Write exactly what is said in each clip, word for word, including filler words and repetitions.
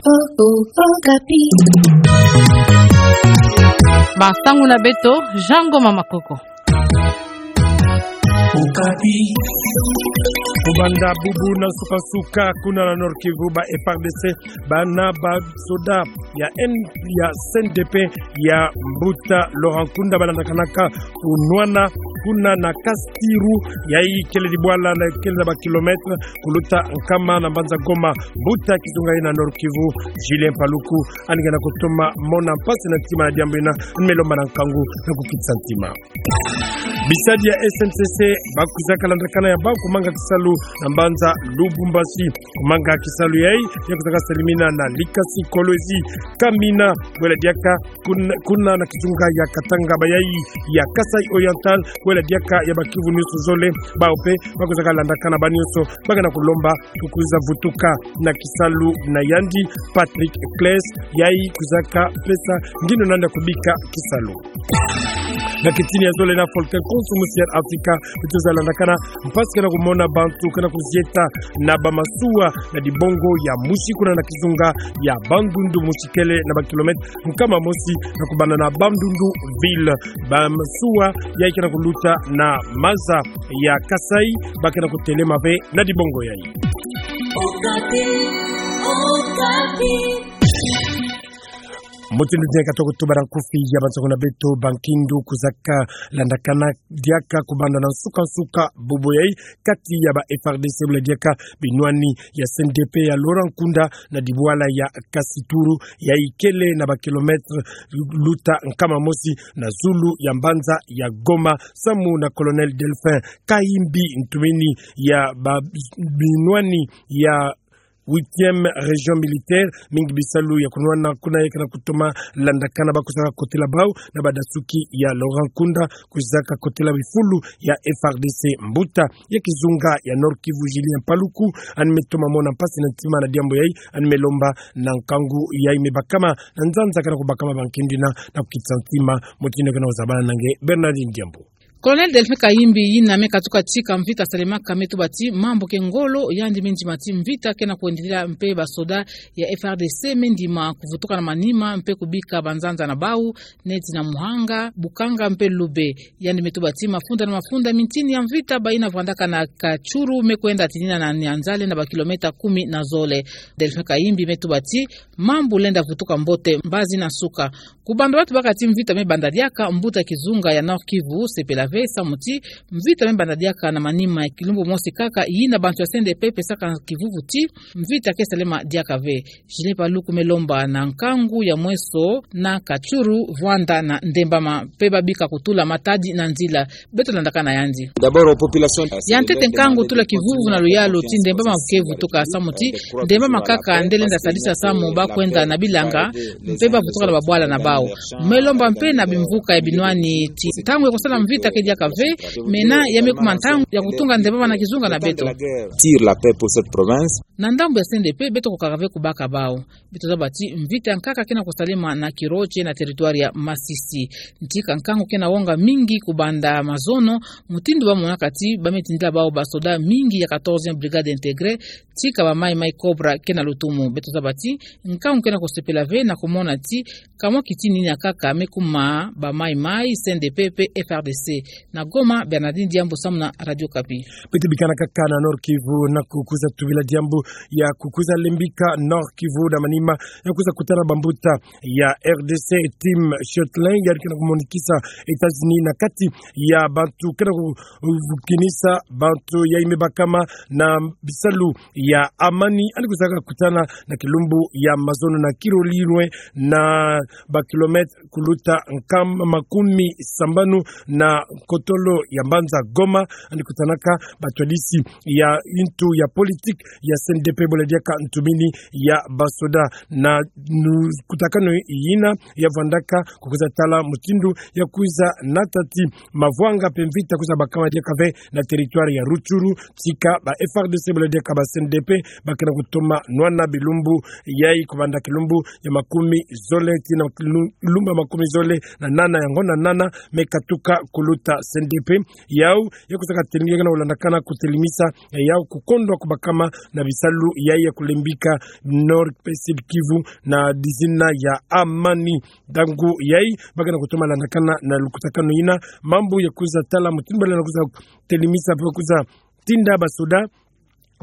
Oh, oh, Okapi. Masangu na beto, Jean Ngoma Makoko. Okapi. Kubanda bubu na nsuka-nsuka, kuna na Nord-Kivu, ba F R D C, bana ba soda ya N-, ya C N D P, ya mbuta Laurent Nkunda, balandakanaka kunwana, kuna na Kasitu, yayi kele dibwala na kele na ba kilomètre kuluta nkama na mbanza Goma. Mbuta kizunga ina Nord-Kivu, Julien Paluku, ani kena kutoma mona mpasi na ntima na diambu ina, ani me lomba na nkangu na kukitisa ntima. Bisadi ya S N C C, ba kwizaka landakana ya bau kumanga kisalu na mbanza Lubumbashi. Kumanga kisalu yayi, ya kwizaka salimina na Likasi, Kolwezi, Kamina, bwela diaka, kun-, kuna na kizunga ya Katanga, bayayi ya Kasaï Oriental, bwela diaka ya ba Kivu nyonso zole, bau mpe ba kwizaka landakana, ba nyonso ba kena kulomba kukwiza vutuka na kisalu na yandi Patrick Cleise, yayi kwizaka pesa ngindo na yandi ya kubika kisalu. Na kitini ya zole na Volcan Konso musi ya Afrika, beto za landakana mpasi kena kumona bantu kena kuzieta na ba masuwa na dibongo ya musi, kuna na kizunga ya Bandundu, musi kele na ba kilomètre nkama mosi na kubanda na Bandunduville. Ba masuwa yayi kena kuluta na maza ya Kasaï, ba kena kutelema ve na dibongo yayi. Okapi, Okapi. Mutindu nde katoka tubara nkufi ya bantu kuna beto, ba nkindu kwizaka landakana diaka kubanda na nsuka-nsuka bubu yayi kati ya ba F R D C bwela diaka binwani ya C N D P ya Laurent Nkunda na dibwala ya Kasitu, yayi kele na ba kilomètre luta nkama mosi na zulu ya mbanza ya Goma, samu na Colonel Delphin Kayimbi, ntumini ya ba binwani ya huitième région militaire, mingi bisalu ya kunwana kuna, yayi kena kutoma landakana ba kwizaka kotela bau na badasuki ya Laurent Nkunda, kwizaka kotela bifulu ya F R D C. Mbuta ya kizunga ya Nord-Kivu, Julien Paluku, ani me toma mona mpasi na ntima na diambu yayi, ani me lomba na nkangu yayi me bakama na nzanza kena kubakama ba nkindu ina na kukitisa ntima, mutindu kena kuzabana na nge Bernardine Diambu. Colonel Delphin Kayimbi, yina me katuka tika mvita salemaka, me tuba ti mambu ke ngolo, yandi me ndima ti mvita kena kuendelea, mpe ba soda ya F R D C me ndima kuvutuka na manima mpe kubika banzanza na bau, neti na Muhanga, Bukanga mpe Lube. Yandi me tuba ti mafunda na mafunda mintini ya mvita bayina vwandaka na Katshuru me kwenda tinina na Nyanzale na ba kilomètre kumi na zole. Delphin Kayimbi me tuba ti mambu lenda vutuka mbote mbazi na nsuka. Kubanda batuba ka ti mvita me banda diaka, mbuta kizunga ya Nord-Kivu sepela ve samu ti mvita me banda diaka na manima ya kilumbu mosi kaka, yina bantu ya C N D P pesaka kivuvu ti mvita ke salema diaka ve. Julien Paluku me lomba na nkangu ya mweso na Katshuru, Vwanda na Ndembama, mpe babika kutula matadi na nzila. Beto landakana yandi. D'abord aux populations. Ya ntete, nkangu tula kivuvu na luyalu ti Ndembama ke vutuka samu ti Ndembama kaka nde lenda sadisa samu ba kwenda na bilanga, mpe ba vutuka na babwala na bau. Me lomba mpe na bimvuka ya binwani ti ntangu ya kusala mvita ke diaka ve, mena ya me kuma ntangu ya kutunga Ndembama na kizunga na beto. Tire la paix pour cette province. Na ndambu ya C N D P, beto kukaka ve kubaka bau. Beto zaba ti mvita nkaka kena kusalema na Kiroche na territoire ya Masisi. Ntika nkangu kena wonga mingi kubanda mazono, mutindu ba monaka ti ba me tindila bau ba soda mingi ya quatorzième brigade intégrée, tika ba Maï Maï Cobra kena lutumu. Beto zaba ti nkangu kena kusepela ve na kumona ti kamwa kitini ina kaka me kuma ba Maï Maï, C N D P mpe F R D C. Na Goma, Bernardine Diambu samu na Radio Okapi. Beto bikana kaka na Nord-Kivu na kukwiza tubila diambu ya kukwiza lembika Nord-Kivu na manima ya kwiza kutana bambuta ya R D C, Tim Shortley, yandi kena kumonikisa États-Unis na kati ya bantu kena ku-, kukinisa bantu yayi me bakama na bisalu ya amani, yandi kwizaka kutana na kilumbu ya mazono na Kirorirwe, na ba kilomètre kuluta nkama makumi sambanu na kotolo ya mbanza Goma, yandi kutanaka batwadisi ya yintu ya politique ya C N D P bole diaka ntumini ya basoda na nu-, kutakanu yina ya vwandaka kukwiza tala mutindu ya kwiza nata ti mavwanga mpe mvita kwiza bakama diaka ve na territoire ya Rutshuru, tika ba F R D C bole diaka ba C N D P ba kena kutoma nwana bilumbu yayi kubanda kilumbu ya makumi zole tii na kilu-, lumbu ya makumi zole na nana ya ngonda nana me katuka kuluta kati ya C N D P, yau ya kuzaka telingi na kulandakana kutelimisa, eh, yau kukondwa kubakama na bisalu yai ya kulembika Nord pe Sud Kivu na dizina ya amani. Ntangu yai, ba kena kutoma landakana na lukutakanu yina, mambu ya kuiza tala mutindu bala na kuiza telimisa pe kuiza tinda basoda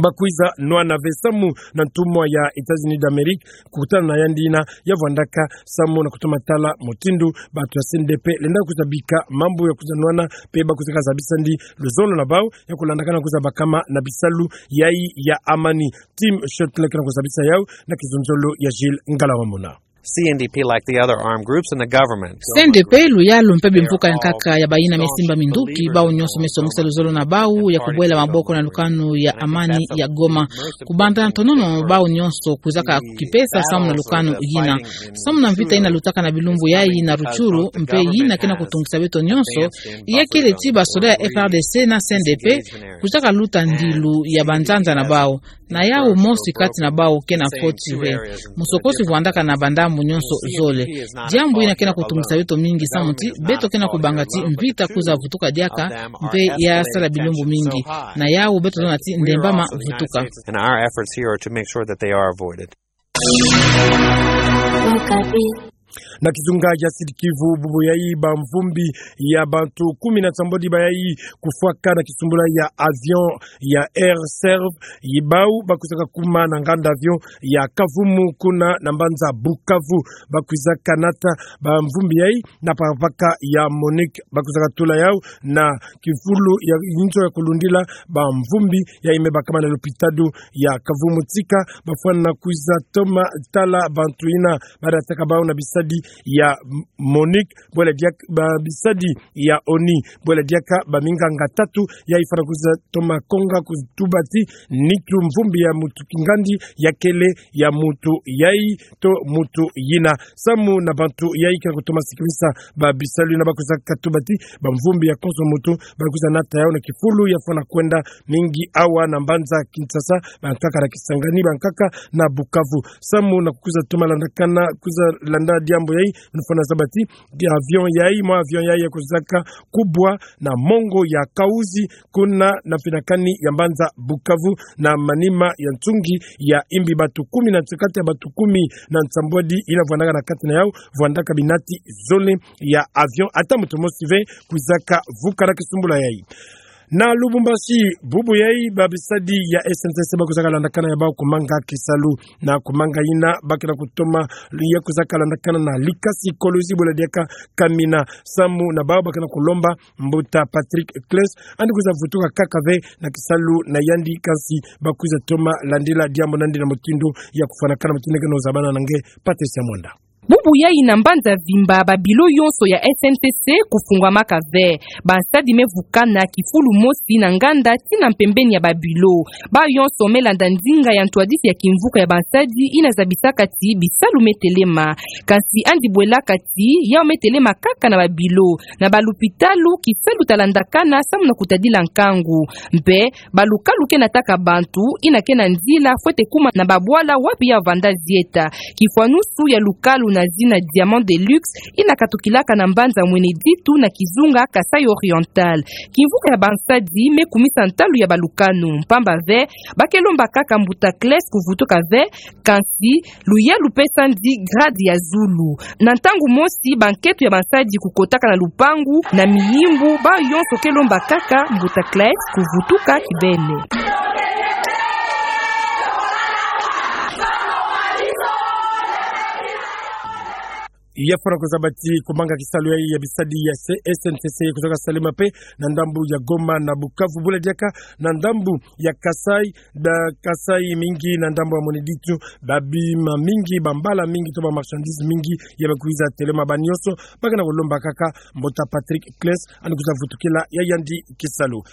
ba kuiza nwana ve samu na ntumwa ya États-Unis d'Amérique, kukutana na yandi yina ya vwandaka samu na kutoma tala mutindu bantu ya C N D P lenda kuiza bika mambu ya kuiza nwana, pe ba kuiza kazabisa ndi luzolo na bau ya kulandakana kuiza bakama na bisalu yai ya amani. Tim Schöttler kena kuzabisa yau na kizunzolo ya Gilles Ngalamamona. C N D P, like the other armed groups in the government. C N D P, luyalu mpe bimvuka ya nkaka ya bayina me simba minduki, bau nyonso me songisa luzolo na bau ya kubwela maboko na lukanu ya amani ya Goma. Kubanda ntonono bau nyonso kuizaka kukipesa samu na lukanu yina. Samu na mvita yina lutaka na bilumbu yai na Rutshuru, mpe yina kena kutungisa beto nyonso, ya kele ti basoda ya F R D C na C N D P, kuizaka luta ndilu ya banzanza na bau. Na yau mosi kati na bau kena foti ve. Musokosi vwandaka na bandambu nyonso zole. Diambu yina kena kutungisa beto mingi samu ti beto kena kubanga ti mvita kuiza vutuka diaka, mpe ya sala bilumbu mingi. Na yau beto zona ti ndembama vutuka. And our efforts here are to make sure that they are avoided. Na kizunga ya Sud Kivu, bubu yai bamvumbi ya bantu kumi na nsambwadi bayai kufwaka na kisumbula ya avion ya Air Serv, yi bau ba kuizaka kuma na nganda avion ya Kavumu kuna na mbanza Bukavu. Ba kuizaka nata bamvumbi yai na pakapaka ya MONUC, ba kuizaka tula yau na kifulu ya inzo ya kulundila bamvumbi yai me bakama na lopitalo ya Kavumu. Tika bafwana kuiza toma tala bantu yina badataka bau na bisadi ya MONUC, bwela diak-, ba bisadi ya ONU, bwela diaka baminganga tatu yai fwana kuiza toma konga kutuba ti nitu mvumbi ya mutu kingandi ya kele ya mutu yai to mutu yina. Samu na bantu yai kena kutoma sikimisa ba bisalu yina ba kuizaka tuba ti bamvumbi ya konso mutu, ba kuiza nata yau na kifulu ya fwana kwenda mingi awa na mbanza Kinshasa, bankaka na Kisangani, bankaka na Bukavu. Samu na kuiza toma landakana, kuiza landa diambu yai, nufwana zaba ti avion yai, mwa avion yai ya kuizaka kubwa na mongo ya Kauzi, kuna na mpinakani ya mbanza Bukavu, na manima ya nsungi ya imbi. Bantu kumi na nsa-, kati ya bantu kumi na nsambwadi yina vwandaka na kati na yau, vwandaka binati zole ya avion, ata mutu mosi ve kuizaka vuka na kisumbula yai. Na Lubumbashi, bubu yai ba bisadi ya S N C C ba kuizaka landakana ya bau kumanga kisalu. Na kumanga yina ba kena kutoma ya kuizaka landakana na Likasi Kolozi, bwela diaka Kamina. Samu na bau ba kena kulomba mbuta Patrick Cleis, yandi kuiza vutuka kaka ve na kisalu na yandi, kansi ba kuiza toma landila diambu nandi na mutindu ya kufwanakana, mutindu keno zabana na nge Patricia Mwanda. Bubu yai na mbanza mvimba ba bilo yonso ya S N C C kufungwamaka ve. Bansadi me vukana kifulu mosi na nganda tii na mpembeni ya ba bilo. Bau yonso me landa ndinga ya ntwadisi ya kimvuka ya bansadi yina zabisaka ti bisalu me telema. Kansi yandi bwelaka ti yau me telema kaka na ba bilo. Na ba lupitalu, kisalu ta landakana samu na kutadila nkangu. Mpe ba lukalu kena taka bantu, yina kena nzila fwete kuma na ba bwala wapi ya vanda zieta. Kifwanusu ya lukalu na zina Diamant de Luxe, yina katukilaka na mbanza Mweneditu na kizunga Kasaï Oriental. Kimvuka ya bansadi me kumisa ntalu ya ba lukanu, mpamba ve ba ke lomba kaka mbuta Cleis kuvutuka ve, kansi luyalu pesa ndi grade ya zulu. Na ntangu mosi, banketo ya bansadi kukotaka na lupangu, na miyimbu, bau yonso ke lomba kaka mbuta Cleis kuvutuka kibeni. Ya fwana kuzaba ti kumanga kisalu yai ya bisadi ya S N C C kuizaka salama pe na ndambu ya Goma na Bukavu, bwela diaka na ndambu ya Kasaï, ba Kasaï mingi na ndambu ya Mweneditu, ba bima mingi, ba mbala mingi, to ba marchandises mingi ya ba kuiza telema. Ba nyonso ba kena kulomba kaka mbuta Patrick Cleis yandi kuiza vutukila ya yandi kisalu.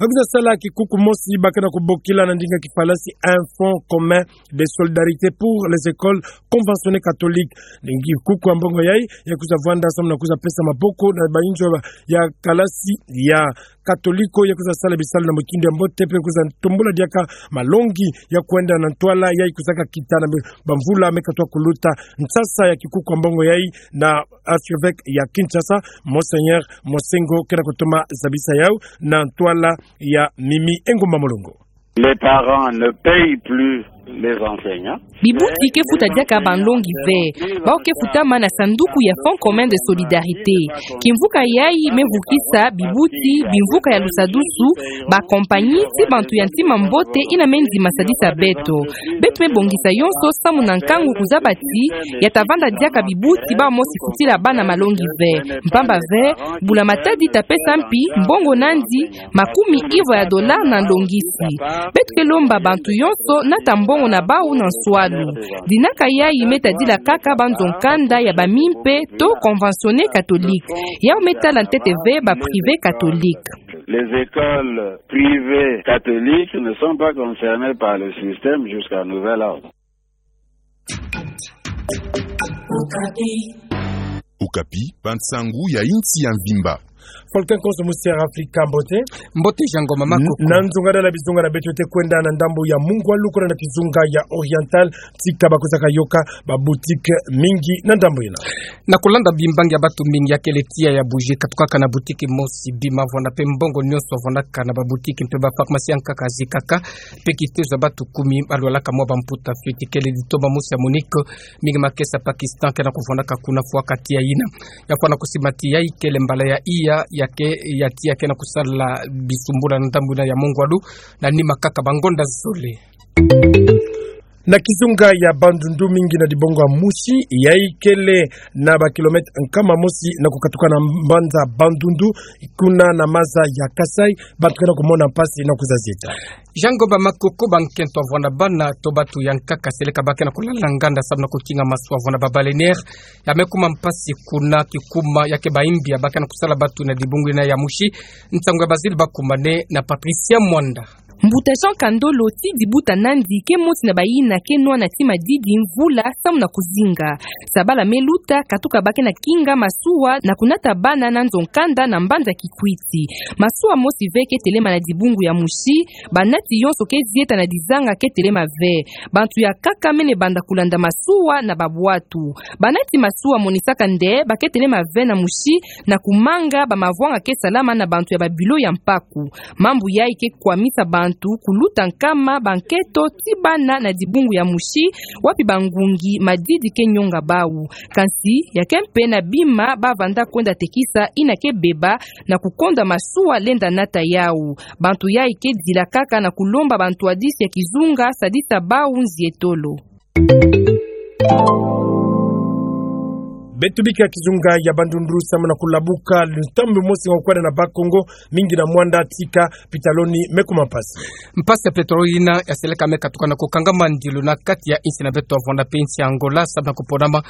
Ba kuiza sala kikuku mosi ba kena kubokila na ndinga kifalasi un fonds commun de solidarité pour les écoles conventionnées catholiques. Ni kikuku ya mbo- Yai, ya kwiza vwanda samu na kwiza pesa maboko na bainzo ya kalasi ya Katoliko, ya kwiza sala bisalu na mutindu ya mbote, mpe kwiza tombula diaka malongi ya kwenda na ntwala yai kwizaka kita na bamvula me katwa kuluta. Nsasa ya kikuku ya mbongo yai na archevêque ya Kinshasa, Monseigneur Mosengo, ke na kutoma zabisa yau na ntwala ya Mimi Engumba Mulongo. Les parents ne payent plus les enseignants. Bibuti ke futa diaka banlongi ve. Bawu ke futama na sanduku ya Fonds commun de solidarité. Kimvuka yai me vukisa bibuti, bimvuka ya lusadusu, ba compagnie, ti bantu ya ntima mbote ina me ndima sadisa beto. Beto me bongisa yonso samu na nkangu kuzaba ti ya ta vanda diaka bibuti bawu mosi futila bana malongi ve. Mpamba ve, Bula Matadi ta pesa mpi mbongo nandi makumi ivwa ya dola na nlongisi. Beto ke lomba bantu yonso nata mbongo na bawu na nswalu. Dinaka yai me tadila kaka banzo nkanda ya bamimpe to conventionné catholique. Yau me tala ntete ve ba privé catholique. Les écoles privées catholiques ne sont pas concernées par le système jusqu'à nouvel ordre. Okapi, bansangu ya insi ya mvimba. Volcan Konso, musi ya Afrika, mbote. Mbote Jean Ngoma Makoko. Na nzunga dala bizunga na beto te kwenda na ndambu ya Mungwalu kuna na kizunga ya Oriental, tika bakwizaka yoka ba boutique mingi na ndambu yina. Na kulanda bimbangi ya batu mingi ya kele tiya ya bougie katukaka na boutique mosi, bima vwanda mpe mbongo nyonso vwandaka na ba boutique mpe ba pharmacie ya nkaka zikaka, mpe kitezo ya batu kumi balwalaka mwa bamputa fioti. Kele ditoma mosi ya Monique, mingi makesa Pakistan ke na kuvwandaka kuna fwa kati ya yina. Ya fwana kusima ti yai kele mbala ya iya ya ke, ya tiya ke na kusala bisumbula na ndambu yina ya Mungwalu, na nima kaka bangonda zole. Na kizunga ya Bandundu, mingi na dibungu ya musi, yai kele na ba kilomètre nkama mosi na kukatuka na mbanza Bandundu, kuna na maza ya Kasaï, bantu ke na kumona mpasi na kwiza zieta. Jean Ngoma Makoko, bankento ya vwanda bana to batu ya nkaka seleka ba ke na kulala nganda samu na kukinga masuwa vwanda ba baleinière, ya me kuma mpasi kuna kikuma ya ke baimbi ya ba ke na kusala batu na dibungu yina ya musi. Nsangu ya Basile Bakumane na Patricia Mwanda. Mbuta Jean Kandolo, ti dibuta nandi ke moti na bayina ke nwana ti madidi mvula samu na kuzinga. Sabala me luta, katuka ba ke na kinga masuwa na kunata bana na nzo nkanda na mbanza Kikwit. Masuwa mosi ve ke telema na dibungu ya musi, banati yonso ke zieta na dizanga ke telema ve. Bantu ya nkaka mene banda kulanda masuwa na babwatu. Banati masuwa monisaka nde ba ke telema ve na musi na kumanga bamavwanga ke salama na bantu ya ba bureau ya mpaku. Mambu yai ke kwamisa bantu kuluta nkama, bankento ti bana na dibungu ya musi, wapi bangungi madidi ke nyonga bawu. Kansi, ya ke mpe na bima ba vanda kwenda tekisa yina ke beba na kukonda masuwa lenda nata yawu. Bantu yai ke dila kaka na kulomba bantwadisi ya kizunga sadisa bawu nzietolo. Beto bika kizunga ya Bandundu samu na kulabuka lutambi mosi nga kwenda na Bas-Congo, mingi na mwanda tika pitaloni me kuma mpasi. Mpasi ya pétrole yina ya seleka me katuka na kukangama ndilu na kati ya insi na beto ya vwanda mpe insi ya Angola, samu na kuponama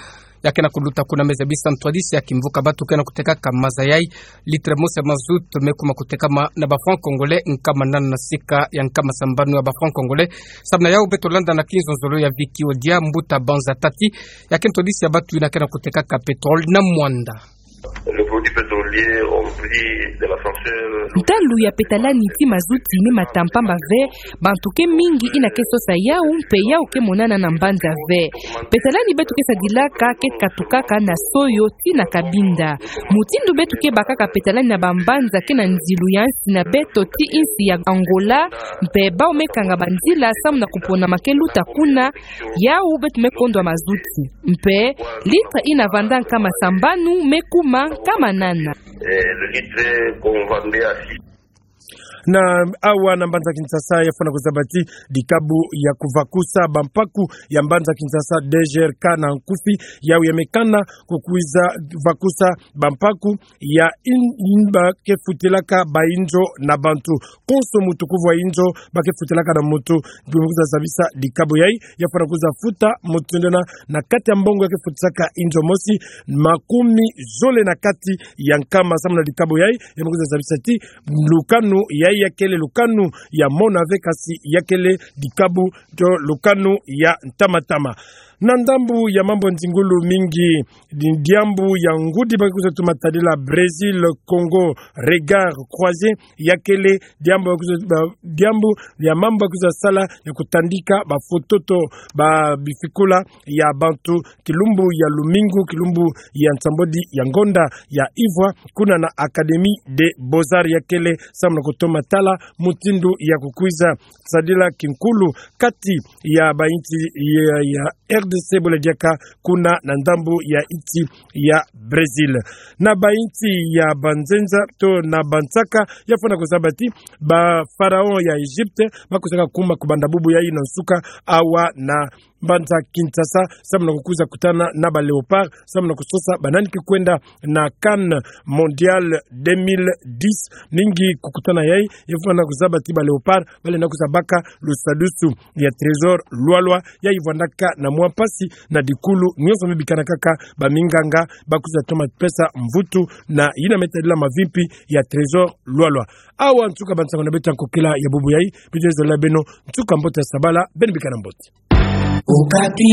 ya ke na kuluta kuna. Me zabisa ntwadisi ya kimvuka batu ke na kutekaka maza yai, litre mosi ya mazout me kuma kutekama na ba francs congolais nkama nana na sika ya nkama sambanu ya ba francs congolais. Samu na yawu beto landa na kinzonzolo ya Vicky Odia, mbuta Banza Tati, ya ke ntwadisi ya batu yina ke na kutekaka pétrole na mwanda. Le produit pétrolier ont pris de l'ascenseur. Ntalu ya petalani ti mazuti me mata mpamba ve, bantu ke mingi yina ke sosa yawu, mpe yawu ke monana na mbanza ve. Petalani beto ke sadilaka ke katukaka na Soyo tii na Cabinda. Mutindu beto ke bakaka petalani na bambanza ke na nzilu ya nsi na beto tii nsi ya Angola, mpe bawu me kanga banzila samu na kuponama ke luta kuna, yawu beto me kondwa mazuti. Mpe litre yina vanda nkama sambanu me kuma nkama nana. Eh, le litre qu'on vendait à six. Na awa na mbanza Kinshasa, ya fwana kuzaba ti dikabu ya kuvakusa bampaku ya mbanza Kinshasa, D G R K na nkufi, yawu ya me kana kukwiza vakusa bampaku ya in-, in ba ke futilaka bainzo na bantu. Konso mutu kuvwa inzo ba ke futilaka na mutu. Ndio me kwiza zabisa dikabu yai, ya fwana kwiza futa mutu nde na, na kati ya mbongo ya ke futisaka inzo mosi, makumi zole na kati ya nkama samu na dikabu yai, ya me kwiza zabisa ti lukanu yai ya kele lukanu ya mona ve, kasi ya kele dikabu to lukanu ya ntama-ntama. Na ndambu ya mambu nzingulu mingi, di-, diambu ya ngudi ba kwiza toma tadila Brésil, Congo, regard croisé, ya kele diambu ya kwiza, ba-, diambu ya mambu ba kwiza sala ya kutandika bafoto to babifikula ya bantu, kilumbu ya lumingu, kilumbu ya nsambwadi ya ngonda ya ivwa, kuna na Académie des Beaux-Arts ya kele, samu na kutoma tala mutindu ya kukwiza sadila kinkulu kati ya bainsi ya, ya R D C, bole diaka kuna na ndambu ya insi ya Brésil. Na bainsi ya banzenza to na bansaka, ya fwana kuzaba ti ba pharaon ya Égypte ba kwizaka kuma kubanda bubu yayi na nsuka awa na mbanza Kinshasa, samu na kukwiza kutana na ba Léopards, samu na kusosa banani ke kwenda na CAN Mondial deux mille dix. Mingi kukutana yayi, ya fwana kuzaba ti ba Léopards balenda kwiza baka lusadusu ya Trésor Lualua, yayi vwandaka na mwa mpasi na dikulu nyonso, me bikana kaka baminganga ba kwiza toma pesa mvutu na yina me tadila mavimpi ya Trésor Lualua. Awa nsuka bansango na beto ya nkokila ya bubu yayi. Beto zololo beno nsuka mbote ya sabala, beno bikana mbote. Okapi.